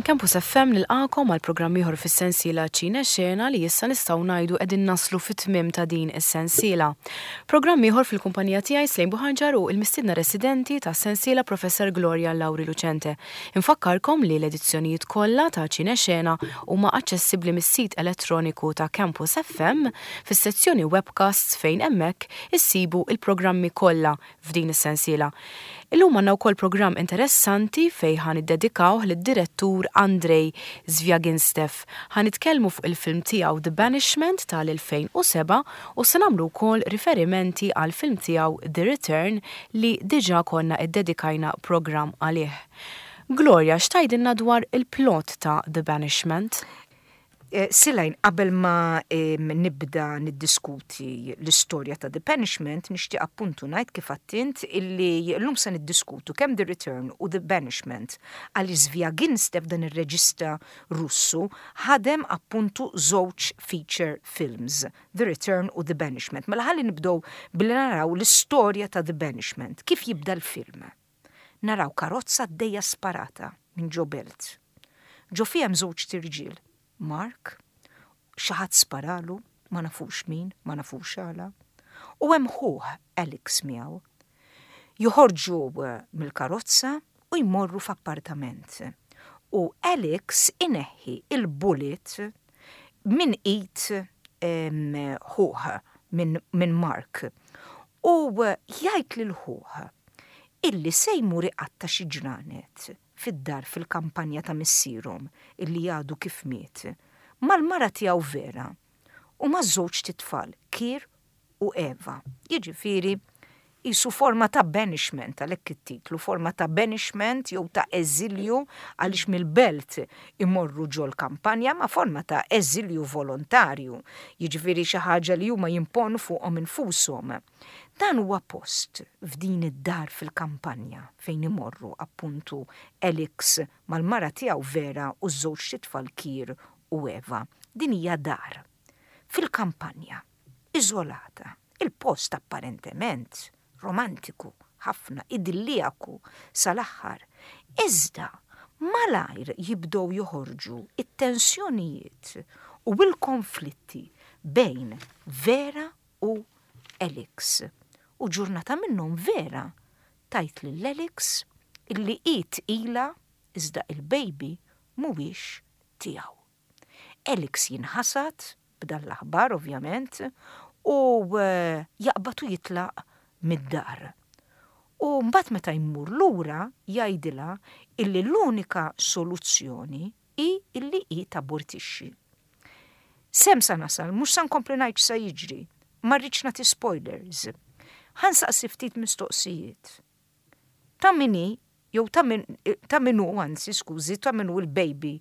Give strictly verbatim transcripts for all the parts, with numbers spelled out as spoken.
Campus F M nilqagħkom għal programm ieħor fis-sensiela Ċine Xena, li issa nistgħu ngħidu qegħdin naslu fit-tmiem ta' din is-sensiela. Programm ieħor fil-kumpanija tiegħi, Slejn Buħanġar, u il-mistiedna residenti ta' sensiela, Professor Gloria Lauri Lucente. Infakkarkom li l-edizzjonijiet kollha ta' Ċine Xena huma aċċessibbli mis-sit elettroniku ta' Campus F M fis-sezzjoni webcasts, fejn hemmhekk issibu il-programmi kollha f'din is-sensiela. Illum għandna wkoll programm interessanti fejn ħa niddedikawh lid-direttur Andrei Zvyagintsev. Ħa nitkellmu fuq il-film tiegħu The Banishment tal-elfejn u sebgħa u se nagħmlu wkoll riferimenti għal film tiegħu The Return, li diġà konna iddedikajna programm għalih. Gloria, x'tgħidilna dwar il-plot ta' The Banishment? Eh, Silajn, qabel ma nibda niddiskuti l-istorja ta' The Banishment, nixtieq appuntu ngħid, kif għedt int, illi llum se niddiskutu kemm The Return u The Banishment, għal Zvyagintsev, dan ir-reġista Russu, ħadem appuntu żewġ feature films, The Return u The Banishment. Mela ħalli nibdew billi naraw l-istorja ta' The Banishment. Kif jibda l-film? Naraw karozza għaddejja sparata minn ġo belt. Ġo fiha żewġ tirġiel, Mark, xi ħadd sparalu, ma nafux min, ma nafux għala, u hemm ħuh Alex miegħu. Joħorġu eh, mill-karozza u jmorru f'appartament. U Alex ineħħi il-bullet minn id ħuh, minn min Mark. U eh, jgħid lil ħuh illi se jmur iqatta' xi ġranet fid-dar fil-kampanja ta' missierhom illi għadu kif miet, mal-mara tiegħu Vera u ma' żewġ tfal, Kir u Eva. Jiġifieri jisu forma ta' banishment, għalhekk it-titlu, forma ta' banishment jew ta' eżilju, għaliex mill-belt imorru ġol kampanja, ma' forma ta' eżilju volontarju, jiġifieri xi ħaġa li huma jimponu fuqhom infushom. Dan huwa post f'din id-dar fil-kampanja fejn imorru appuntu Alex mal-mara tiegħu Vera u ż-żewġ tfal, Kir u Eva. Din hija dar fil-kampanja, iżolata. Il-post apparentement romantiku ħafna, idillijaku sal-aħħar. Iżda malajr jibdew joħorġu it-tensjonijiet u il-konflitti bejn Vera u Alex. U ġurnata minnhom Vera tgħid lil Alex illi hi tqila, iżda il-baby mhuwiex tiegħu. Alex jinħasad b'dan l-aħbar, ovvjament, u eh, jaqbad u jitlaq mid-dar. U mbagħad meta jmur lura jgħidilha illi l-unika soluzzjoni hi illi hi tabortixxi. S'hemm sa nasal, mhux sa nkompli ngħid sa jiġri, ma rridx nagħti spoilers. Ħa nsaqsi ftit mistoqsijiet. Ta' min hi, jew ta' min ta' min hu, anzi, skużi, ta' min hu l-baby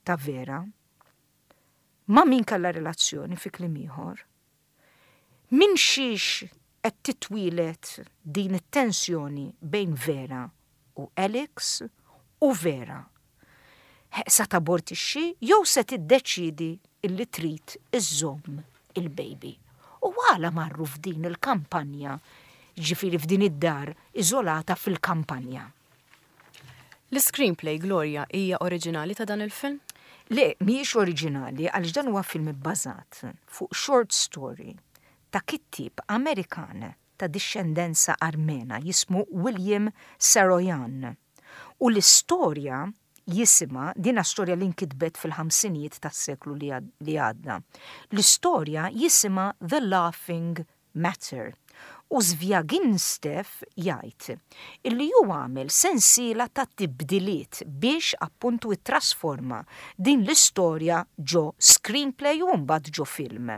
ta' Vera? Ma' min kellha relazzjoni, fi kliem ieħor? Min xiex qed titwieled din it-tensjoni bejn Vera u Alex, u Vera sa tabortixxi jew se tiddeċidi illi trid iżżomm il-baby? U għala marru f'din il-kampanja, ġifieri f'din id-dar iżolata fil-kampanja? L-screenplay, Gloria, hija oriġinali ta' dan il-film? Le, mhijiex oriġinali, għaliex dan huwa film bbażat fuq short story ta' kittib Amerikan ta' discendenza Armena jismu William Saroyan. U l-istorja jisimha, dina storja li nkitbet fil-ħamsinijiet tas-seklu li għadda. L-istorja jisimha The Laughing Matter. U Zvyagintsev jgħid illi ju għamel sensiela ta' tibdiliet biex appuntu trasforma din l-istorja ġo screenplay u mbagħad ġo film.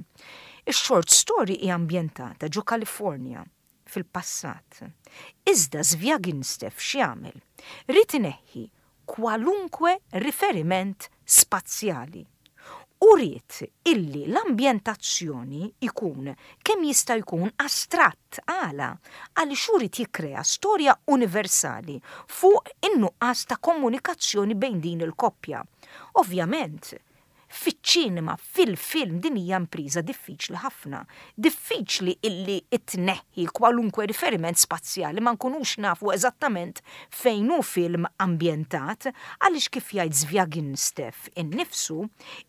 Ix-short story hi ambjentata ġo Kalifornja fil-passat. Iżda Zvyagintsev x'jagħmel? Ried ineħħi kwalunkwe riferiment spazjali. U ried illi l-ambjentazzjoni ikun kemm jista' jkun astratt. Għala? Għaliex hu ried jikkrea storja universali fuq in-nuqqas ta' komunikazzjoni bejn din il-koppja. Ovvjament, Fiċ-ċinema, fil-film, din hija impriża diffiċli ħafna. Diffiċli illi tneħħi kwalunkwe riferiment spazjali, ma nkunux nafu eżattament fejn hu film ambjentat, għaliex kif jgħid Zviaginstev innifsu,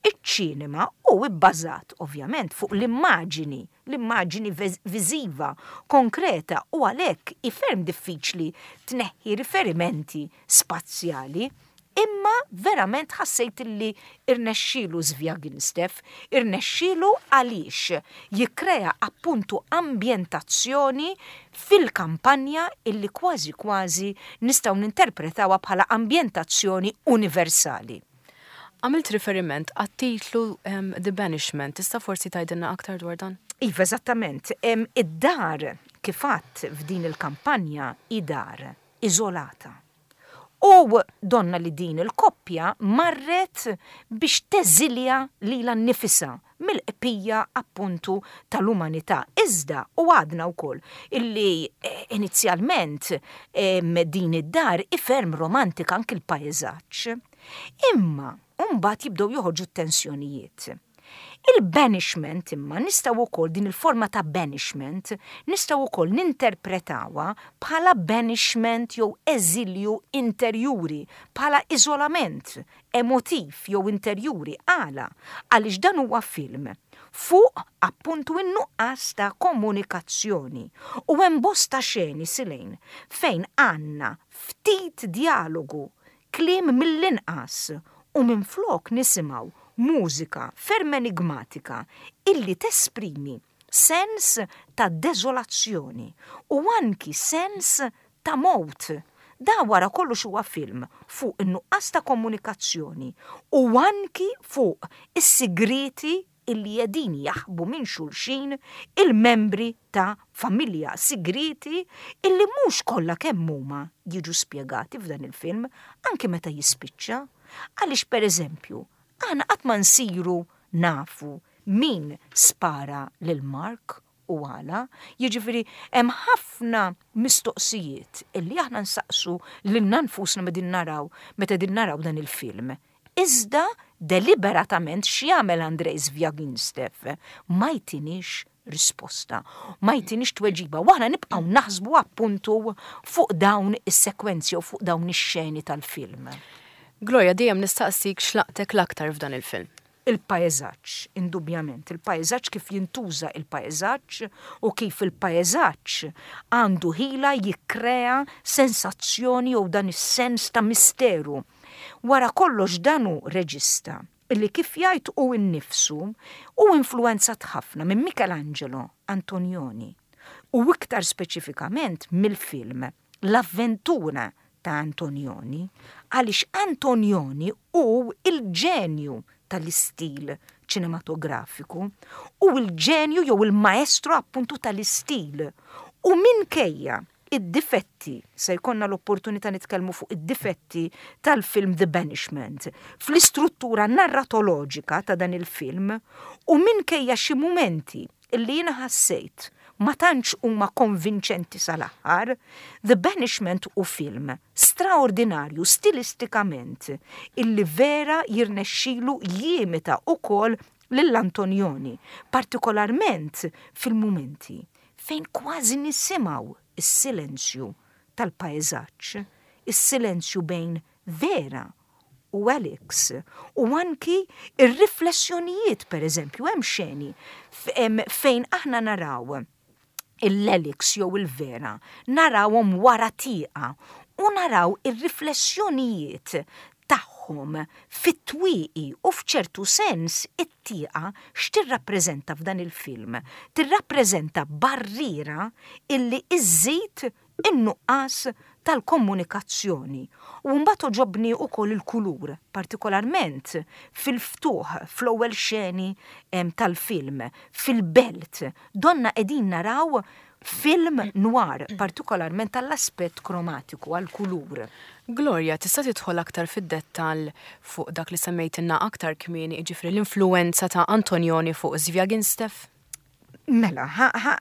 iċ-ċinema hu bbażat ovvjament fuq l-immaġini, l-immaġini viżiva konkreta, u għalhekk hi ferm diffiċli tneħħi riferimenti spazjali. Imma verament ħassejt li irnexxielu Zviaginstev, irnexxielu għaliex jikkrea appuntu ambjentazzjoni fil-kampanja illi kważi kważi nistgħu ninterpretawha bħala ambjentazzjoni universali. Għamilt riferiment għat-titlu um, The Banishment, tista' forsi tgħidilna aktar dwar dan? Iva, eżattament. Id-dar kif għedt f'din il-kampanja hi dar iżolata. U donna li din il-koppja marret biex teżilja lilha nnifisha mill-qpija appuntu tal-umanità. Iżda, u għadna wkoll illi eh, inizjalment din id-dar hi ferm romantika, anki l-pajzaġġ. Imma mbagħad jibdew joħorġu tensjonijiet. Il-banishment imma nistgħu wkoll, din il-forma ta' banishment nistgħu wkoll ninterpretawha bħala banishment jew eżilju interjuri, bħala iżolament emotiv jew interjuri. Għala? Għaliex dan huwa film fuq appuntu in-nuqqas ta' komunikazzjoni u hemm bosta xeni silejn fejn għandna ftit dialogu, kliem mill-inqas, u minflok nisimgħu mużika ferm enigmatika illi tesprimi sens ta' dezolazzjoni u anki sens ta' mowt. Da wara kollox huwa film fuq in-nuqqas ta' komunikazzjoni u anki fuq is-sigriti illi qegħdin jaħbu minn xulxin il-membri ta' familja, sigriti illi mhux kollha kemm huma jiġu spjegati f'dan il-film anki meta jispiċċa. Għaliex, per eżempju, aħna qatt ma nsiru nafu min spara lil Mark u għala, jiġifieri hemm ħafna mistoqsijiet illi aħna nsaqsu lilna nfusna meta naraw meta din naraw dan il-film. Iżda deliberatament x'jagħmel Andrej Zviaginstev? Ma jtinix risposta, ma jtinix tweġiba, u aħna nibqgħu naħsbu appuntu fuq dawn is-sekwenzi u fuq dawn ix-xeni tal-film. Gloria, dejjem nistaqsik x'laqtek l-aktar f'dan il-film. Il-pajzaġġ, indubjament, il-pajzaġġ, kif jintuża il-pajzaġġ u kif il-pajzaġġ għandu ħila jikkrea sensazzjoni u dan is-sens ta' misteru. Wara kollox dan hu reġista illi, kif jgħid hu innifsu, hu influenzat ħafna minn Michelangelo Antonioni u iktar speċifikament mill-film L-Avventura ta' Antonioni, għaliex Antonioni hu il-ġenju tal-istil ċinematografiku u il-ġenju jew il-maestro appuntu tal-istil. U minkejja id-difetti, se jkollna l-opportunità nitkellmu fuq id-difetti tal-film The Banishment, fl-istruttura narratoloġika ta' dan il-film, u minkejja xi mumenti illi jiena ħassejt ma tantx huma konvinċenti sal-aħħar, The Banishment hu film straordinarju stilistikament illi vera jirnexxilu jimita ukoll lill-Antonioni, partikolarment fil-mumenti fejn kważi nisimgħu is-silenzju tal-pajzaġġ, is-silenzju bejn Vera u Alex, u anki ir-riflessjonijiet. Per eżempju, hemm xeni fejn aħna naraw l-Alex jew il-Vera, narawhom wara tieqa u naraw ir-riflessjonijiet tagħhom fit-twieqi, u f'ċertu sens it-tieqa x'tirrappreżenta f'dan il-film? Tirrappreżenta barriera illi iżżid in-nuqqas tal-komunikazzjoni. U mbagħad għoġobni wkoll il-kulur, partikolarment fil-ftuħ, fl-ewwel xeni tal-film, fil-belt, donna qegħdin naraw film noir, partikolarment tal-aspett kromatiku, għal-kulur. Gloria, tista' tidħol aktar fid-dettall fuq dak li semmejtilna aktar kmieni, jiġifieri l-influenza ta' Antonioni fuq Zviaginstev? Mela, ħa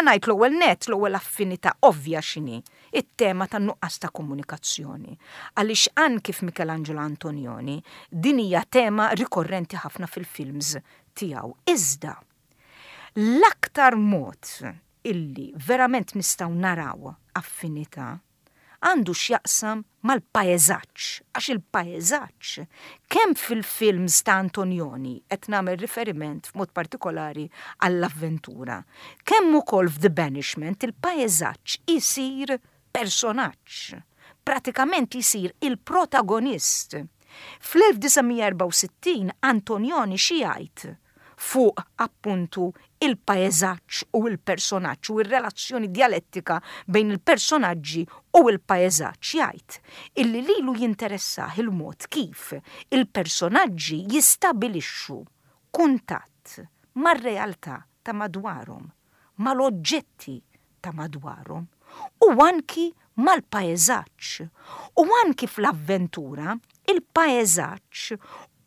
ngħid l-ewwel net, l-ewwel affinità ovvja x'inhi. It-tema tan-nuqqas ta' komunikazzjoni. Għaliex anki f'Michelangelo Antonioni din hija tema rikorrenti ħafna fil-films tiegħu. Iżda l-aktar mod illi verament nistgħu naraw affinità għandu x'jaqsam mal-paeżaġġ, għax il-paeżaġġ kemm fil-films ta' Antonioni, qed nagħmel riferiment f'mod partikolari għall-avventura, kemm ukoll f'The Banishment il-paeżaġġ isir personaġġ, pratikament isir il-protagonist. Fl-elf disa' mija erbgħa u sittin Antonioni xi jgħid fuq appuntu il-paeżaġġ u l-personaġġ u r-relazzjoni dialettika bejn il-personaġġi u l-paeżaġġ, jgħid illi lilu jinteressah il-mod kif il-personaġġi jistabilixxu kuntatt mar-realtà ta' madwarhom, mal-oġġetti ta' madwarhom u anki mal-paeżaġġ. U anki fl-avventura il-paeżaġġ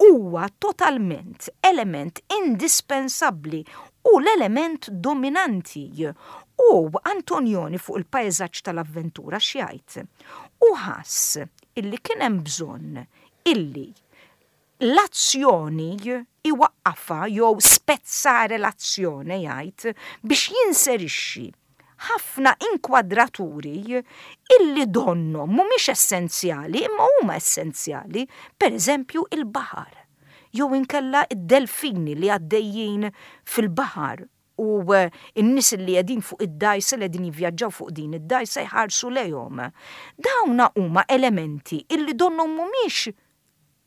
huwa totalment element indispensabbli u l-element dominanti. U Antonioni fuq il-paeżaġġ tal-avventura x'jgħid? U ħass illi kien hemm bżonn illi l-azzjoni iwaqqafha jew spezzare l-azzjoni, jgħid, biex jinserixxi ħafna inkwadraturi illi donnom mhumiex essenzjali imma huma essenzjali, per eżempju il-baħar, jew inkella id-delfini li għaddejjin fil-baħar u n-nies li qegħdin fuq id-dgħajsa li qegħdin jivvjaġġaw fuq din id-dgħajsa jħarsu lejhom. Dawna huma elementi illi donnom mhumiex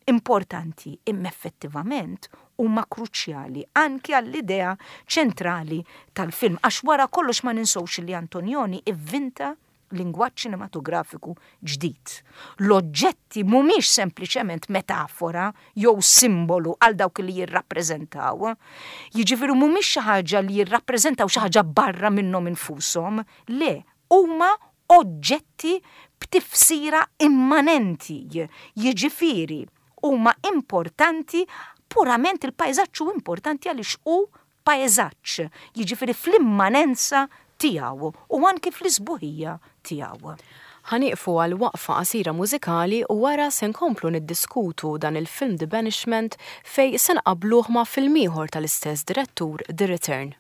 importanti imma effettivament huma kruċjali anki għall-idea ċentrali tal-film, għax wara kollox ma ninsewx li Antonioni ivvinta lingwaġġ ċinematografiku ġdid. L-oġġetti mhumiex sempliċement metafora jew simbolu għal dawk li jirrappreżentaw. Jiġifieri mhumiex xi ħaġa li jirrappreżentaw xi ħaġa barra minnhom infushom, le, huma oġġetti b'tifsira immanenti. Jiġifieri huma importanti purament il-paeżaġġ hu importanti għaliex hu paeżaġġ, jiġifieri fl-immanenza tiegħu u anki fl-isbuħija tiegħu. Ħanieqfu għal waqfa qasira mużikali u wara se nkomplu niddiskutu dan il-film The Banishment fej se nqabbluh ma' film ieħor tal-istess direttur The Return.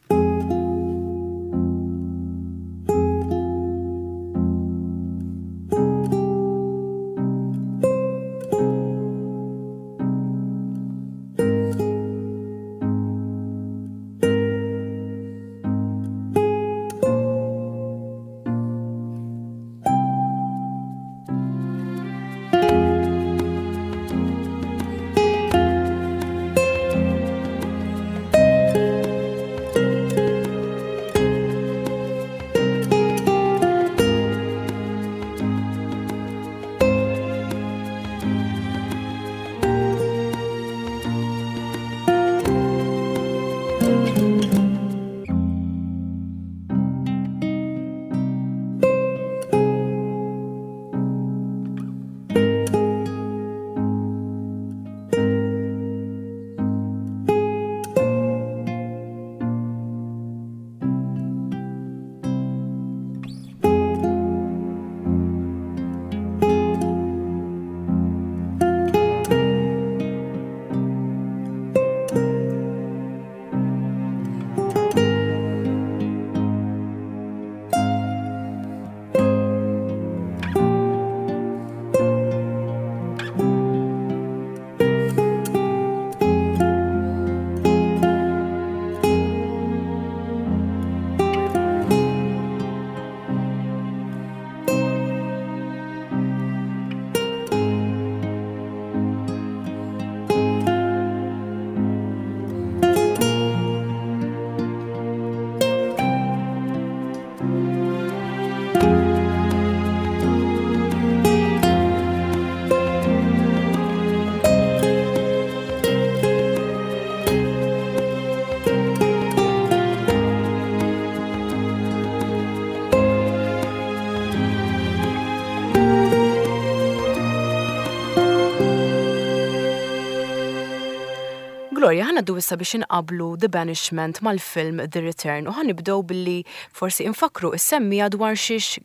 Gloria, ħa ngħaddu issa biex inqablu The Banishment mal-film The Return u ħa nibdew billi forsi infakru is-semmiegħa dwar xiex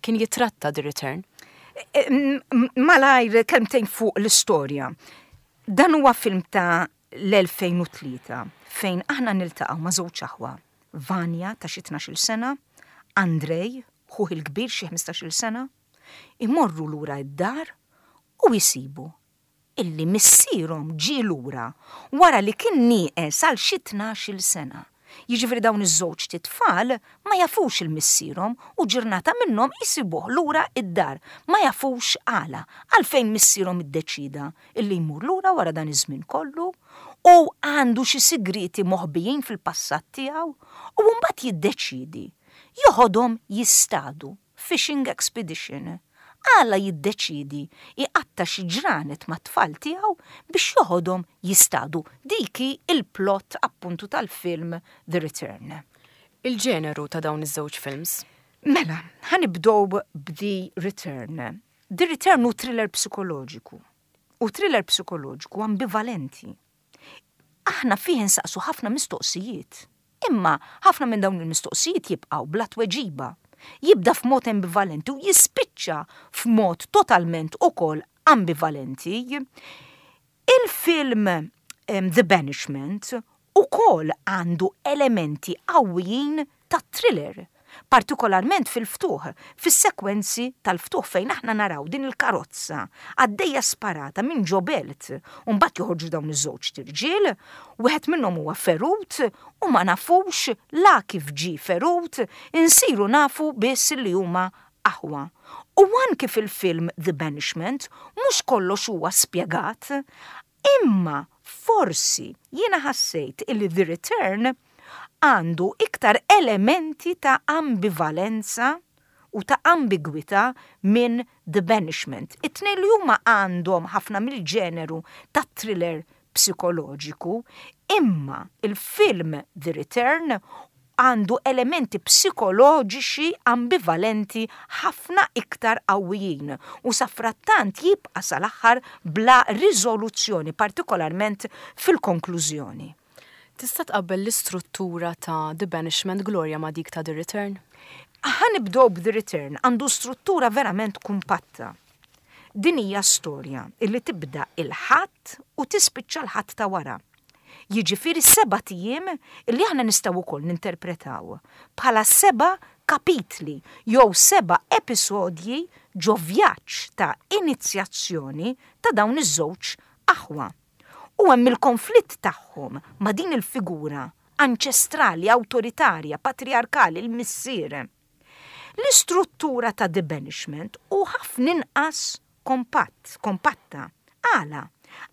kien jitratta The Return. Malajr kelmtejn fuq l-istorja. Dan huwa film ta' l-elfejn u tlieta fejn aħna niltaqgħu ma' żewġ aħwa. Vanja ta' xi tnax-il sena, Andrej, ħuh il-kbir xi ħmistax-il sena, imorru lura id-dar u jisibu illi missierhom ġie lura wara li kien nieqes għal xi tnax-il sena. Jiġifieri dawn iż-żewġ tfal ma jafux il-missierhom u ġurnata minnhom jisibuh lura id-dar. Ma jafux għala, għalfejn missierhom iddeċida illi jmur lura wara dan iż-żmien kollu u għandu xi sigriti moħbijin fil-passat tiegħu u mbagħad jiddeċidi joħodhom jistadu, fishing expedition. Għala jiddeċidi iqatta xi ġranet mat-tfal tiegħu biex joħodhom jistadu? Dik hi il-plot appuntu tal-film The Return. Il-ġeneru ta' dawn iż-żewġ films? Mela, ħa nibdew b'The Return. The Return hu thriller psikoloġiku. U thriller psikoloġiku ambivalenti. Aħna fih insaqsu ħafna mistoqsijiet. Imma ħafna minn dawn il-mistoqsijiet jibqgħu bla tweġiba. Jibda f'mod ambivalenti u jispiċċa f'mod totalment ukoll ambivalenti. Il-film um, The Banishment ukoll għandu elementi qawwijin ta' thriller, partikolarment fil-ftuħ, fis-sekwenzi tal-ftuħ fejn aħna naraw din il-karozza għaddejja sparata minn ġo belt, u mbagħad joħorġu dawn iż-żewġ irġiel, wieħed minnhom huwa ferut u ma nafux la kif ġi ferut, insiru nafu biss li huma aħwa. U anki fil-film The Banishment mhux kollox huwa spjegat, imma forsi jiena ħassejt illi The Return għandu iktar elementi ta' ambivalenza u ta' ambigwità minn The Banishment. It-tnejn li huma għandhom ħafna mill-ġeneru ta' thriller psikoloġiku, imma il-film The Return għandu elementi psikoloġiċi ambivalenti ħafna iktar qawwijin u safrattant jibqa' sal-aħħar bla riżoluzzjoni, partikolarment fil-konklużjoni. Tista' tqabbel l-istruttura ta' The Banishment, Gloria, ma' dik ta' The Return? Ħa nibdew b'The Return, għandu struttura verament kumpatta. Din hija storja illi tibda il-Ħadd u tispiċċa l-Ħadd ta' wara. Jiġifieri sebat ijiem illi aħna nistgħu wkoll ninterpretaw bħala seba' kapitli jew seba' episodji ġo vjaġġ ta' inizjazzjoni ta' dawn iż-żewġ aħwa. U hemm il-konflitt tagħhom ma' din il-figura anċestrali, awtoritarja, patriarkali, il-missier. L-istruttura ta' The Banishment hu ħafna inqas kompatt, kompatta. Għala?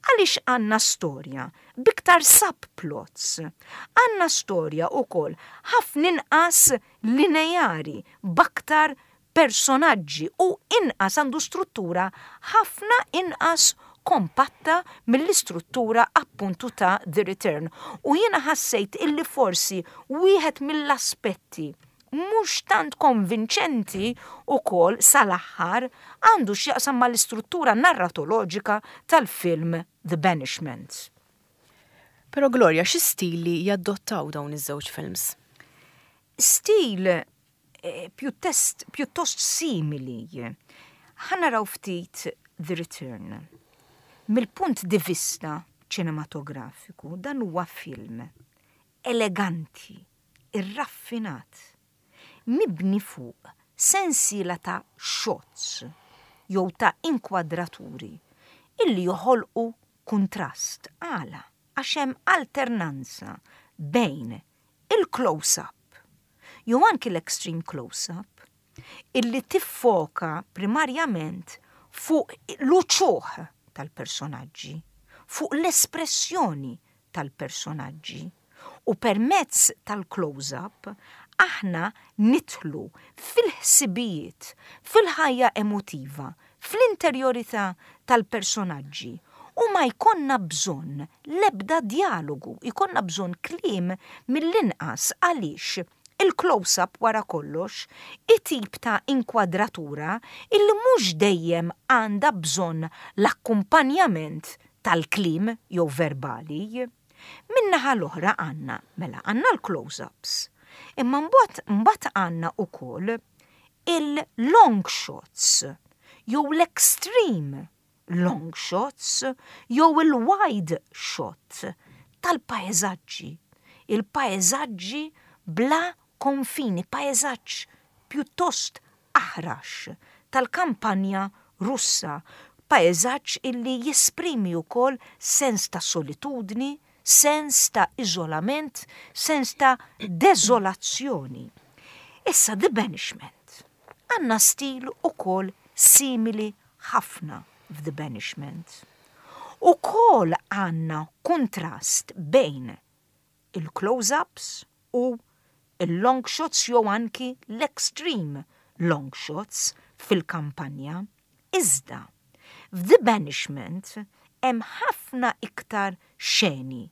Għaliex għandna storja b'iktar subplots. Għandna storja ukoll ħafna inqas lineari, b'aktar personaġġi u inqas għandu struttura ħafna inqas kompatta mill-istruttura appuntu ta' The Return. U jiena ħassejt illi forsi wieħed mill-aspetti mhux tant konvinċenti ukoll sal-aħħar għandu x'jaqsam mal-istruttura narratoloġika tal-film The Banishment. Però Gloria, xi stili jaddottaw dawn iż-żewġ films? Stil eh, pjuttost, pjuttost simili. Ħa naraw ftit The Return. Mill-punt di vista ċinematografiku, dan huwa film eleganti, irraffinat, mibni fuq sensiela ta' shots jew ta' inkwadraturi illi joħolqu kuntrast. Għala? Għax hemm alternanza bejn il-close-up jew anki l-extreme close-up illi tiffoka primarjament fuq l-uċuħ tal-personaġġi, fuq l-espressjoni tal-personaġġi. U permezz tal-close-up aħna nidħlu fil-ħsibijiet, fil-ħajja emotiva, fl-interjorità tal-personaġġi u ma jkollna bżonn lebda dialogu, jkollna bżonn kliem mill-inqas għaliex il-close-up wara kollox it-tip ta' inkwadratura illi mhux dejjem għandha bżonn l-akkumpanjament tal-kliem jew verbali. Min-naħa l-oħra għandna, mela għandna l-close-ups, imma mbagħad mbagħad għandna ukoll il-long shots, jew l-extreme long shots, jew il-wide shot tal-paeżaġġi. Il-paeżaġġi bla konfini, paeżaġġ pjuttost aħrax tal-kampanja Russa, paeżaġġ illi jesprimi wkoll sens ta' solitudni, sens ta' iżolament, sens ta' deżolazzjoni. Issa The Banishment. Għandna stil ukoll simili ħafna f'The Banishment. Ukoll għandna kontrast bejn il-close-ups u il-long shots jew anki l-extreme long shots fil-kampanja. Iżda, f'The Banishment hemm ħafna iktar xeni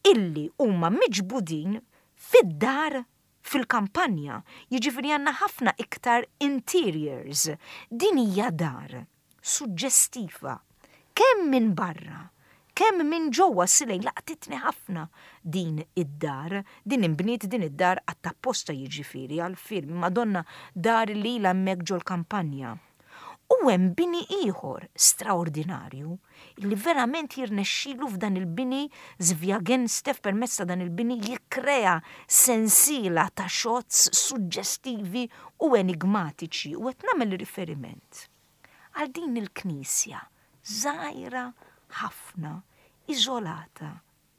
illi huma miġbudin fid-dar fil-kampanja. Jiġifieri għandna ħafna iktar interiors. Din hija dar suġġestiva kemm minn barra, kemm minn ġewwa. Silej, laqtitni ħafna din id-dar, din imbniet din id-dar apposta jiġifieri għal-film, Madonna, dar li ilha hemmhekk ġol-kampanja. U hemm bini ieħor straordinarju li verament jirnexxilu f'dan il-bini Zvyagintsev, permezz ta' dan il-bini jikkrea sensiela ta' shots suġġestivi u enigmatiċi, u qed nagħmel riferiment għal din il-knisja żgħira ħafna, iżolata,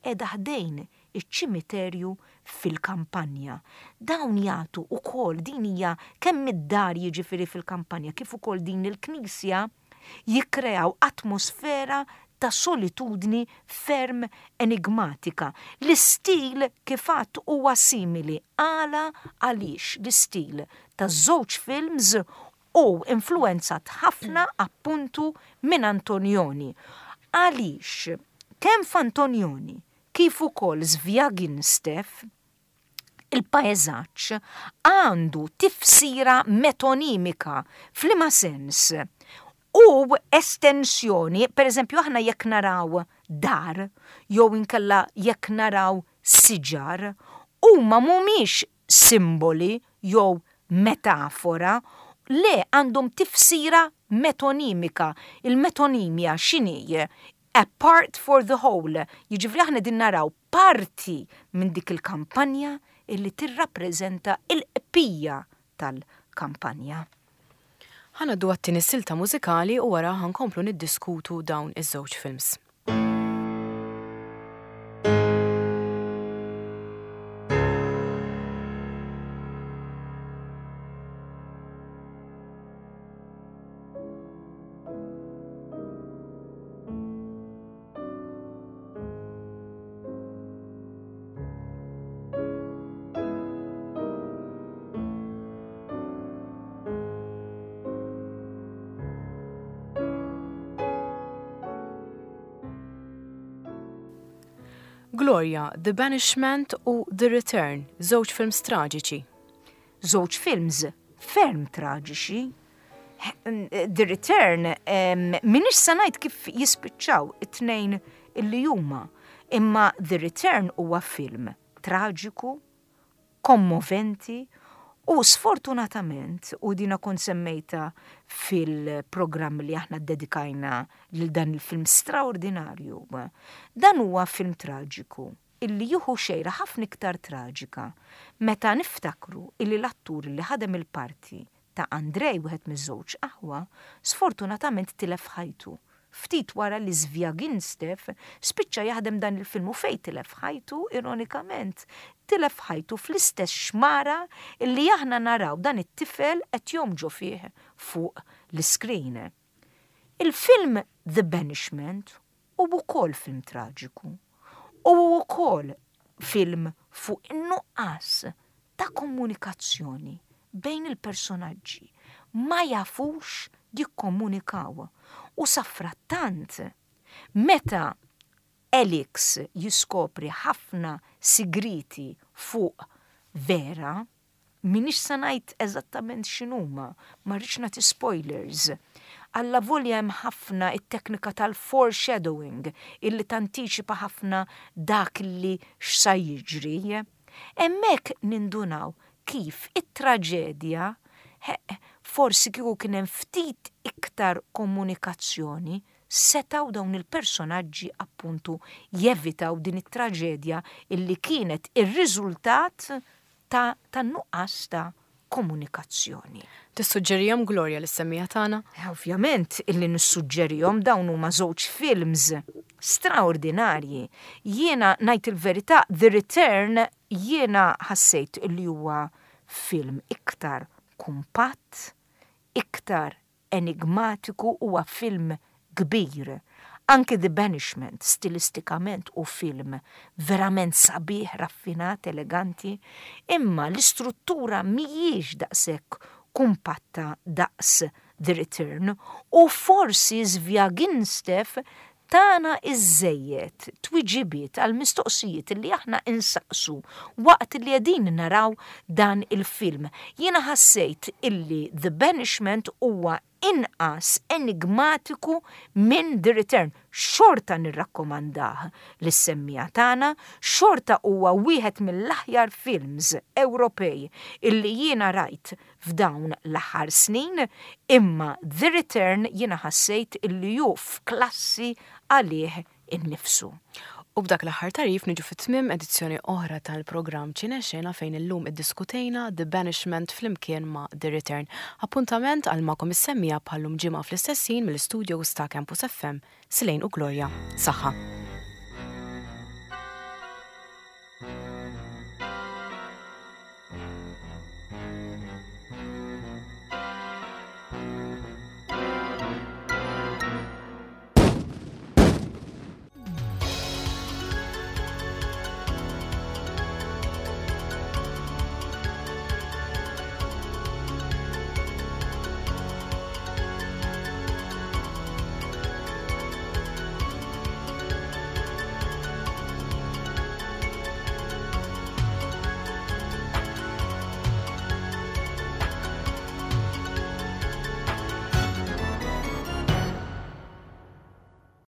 qiegħda ħdejn iċ-ċimiterju fil-kampanja. Dawn jagħtu ukoll, din hija kemm id-dar jiġifieri fil-kampanja kif ukoll din il-knisja, jikkreaw atmosfera ta' solitudni ferm enigmatika. L-istil kif għedt huwa simili. Għala? Għaliex l-istil ta' żewġ films u influenzat ħafna appuntu minn Antonioni. Għaliex kemm f'Antonioni kif ukoll Zvyagintsev il-paeżaġġ għandu tifsira metonimika. F'liema sens? U estensjoni, per eżempju, aħna jekk naraw dar, jew inkella jekk naraw siġar, huma mhumiex simboli jew metafora, le, għandhom tifsira metonimika. Il-metonimja x'inhi? A part for the whole. Jiġifieri aħna din naraw parti minn dik il-kampanja illi tirrappreżenta il-qpija tal-kampanja. Ħa ngħaddu għat-tieni silta mużikali u wara ħa nkomplu niddiskutu dawn iż-żewġ films. Gloria, The Banishment u The Return, żewġ films traġiċi. Żewġ films ferm traġiċi. The Return, m'iniex sa ngħid kif jispiċċaw it-tnejn illi huma, imma The Return huwa film traġiku, kommoventi u sfortunatament, u dina kont semmejta fil-programm li aħna dedikajna lil dan il-film straordinarju, dan huwa film traġiku illi jieħu xejra ħafna iktar traġika meta niftakru illi l-attur li ħadem il-parti ta' Andrej, wieħed miż-żewġ aħwa, sfortunatament tilef ħajtu ftit wara li Zvyagintsev spiċċa jaħdem dan il-film. U fejn tilef ħajtu, ironikament, tilef ħajtu fl-istess xmara illi aħna naraw dan it-tifel qed jgħum fih fuq l-screen. Il-film The Banishment hu wkoll film traġiku. U wkoll film fuq in-nuqqas ta' komunikazzjoni bejn il-personaġġi. Ma jafux jikkomunikaw. U safrattant, meta Alex jiskopri ħafna sigriti fuq Vera, m'iniex sa ngħid eżattament x'inhuma, ma rridx nagħti spoilers, Allavolja hemm ħafna it-teknika tal-foreshadowing illi tantiċipa ħafna dak li x'sa jiġri. Hemmhekk nindunaw kif it-traġedja, forsi kieku kien hemm ftit iktar komunikazzjoni, setaw dawn il-personaġġi appuntu jevitaw din it-traġedja illi kienet ir-riżultat ta' tan-nuqqas ta' komunikazzjoni. Tissuġġerihom, Gloria, lis-semmiegħa tagħna? Eh, ovvjament illi nissuġġerihom. Dawn huma żewġ films straordinarji. Jiena ngħid il-verità, The Return jiena ħassejt illi huwa film iktar kumpatt, iktar enigmatiku, huwa film kbir. Anki The Banishment, stilistikament hu film verament sabiħ, raffinat, eleganti, imma l-istruttura mhijiex daqshekk kumpatta daqs The Return u forsi Zvyagintsev tana iżżejjed twiġibiet għal mistoqsijiet li aħna insaqsu waqt li qegħdin naraw dan il-film. Jiena ħassejt illi The Banishment huwa inqas enigmatiku minn The Return. Xorta nirrakkomandah lis-semmiegħa tagħna, xorta huwa wieħed mill-aħjar films Ewropej illi jiena rajt f'dawn l-aħħar snin, imma The Return jiena ħassejt illi hu f'klassi għalih innifsu. U b'dak l-aħħar tagħrif niġu fit-tmiem edizzjoni oħra tal-programm Ċinexena, fejn illum iddiskutejna The Banishment flimkien ma' The Return. Appuntament għal magħkom is-semmiegħa bħal-lum ġimgħa fl-istess ħin mill-studios ta' Campus F M. Silejn u Gloria. Saħħa.